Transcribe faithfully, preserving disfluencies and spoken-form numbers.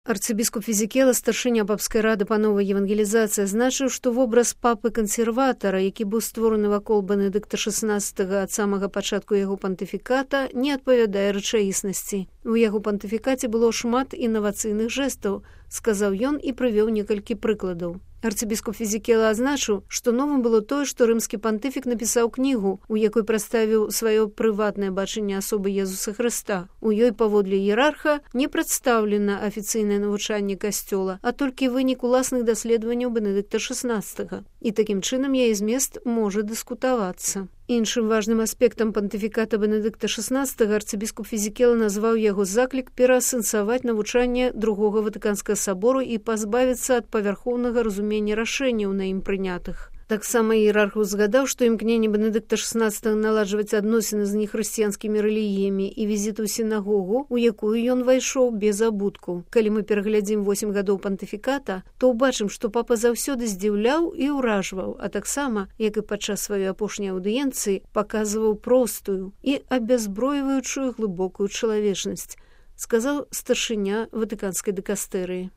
Арцыбіскуп Фізікела, старшыня папскай рады па новай евангелізацыі, азначыў, што вобраз папы-кансерватара, які быў створаны вакол Бенедыкта шаснаццатага ад самага пачатку яго пантыфіката, не адпавядае рэчаіснасці. У яго пантыфікаце было шмат інавацыйных жэстаў, сказаў ён і прывёў некалькі прыкладаў. Арцыбіскуп Фізікела азначыў, што новым было тое, што рымскі пантыфік напісаў кнігу, у якой прадставіў сваё прыватнае бачанне асобы Езуса Хрыста. У ёй паводле іерарха не прадстаўлена афіцыйнае навучанне касцёла, а толькі вынік уласных даследаванняў Бенедыкта шаснаццатага. І такім чынам яе змест можа дыскутавацца. Іншым важным аспектам пантыфіката Бенедыкта шаснаццатага арцыбіскуп Фізікела назваў яго заклік пераасэнсаваць навучанне другога Ватыканскага сабору і пазбавіцца ад павярхоўнага разумення рашэнняў на ім прынятых. Таксама іерарх узгадаў, што імкненне Бенедыкта шаснаццатага наладжваць адносіны з нехрысціянскімі рэлігіямі і візіт у сінагогу, у якую ён вайшоў без абутку. Калі мы пераглядзім восем гадоў пантыфіката, то ўбачым, што папа заўсёды здзіўляў і ўражваў, а таксама, як і падчас сваёй апошняй аўдыенцыі, паказваў простую і абязброіваючую глыбокую чалавечнасць, сказаў старшыня Ватыканскай дыкастэрыі.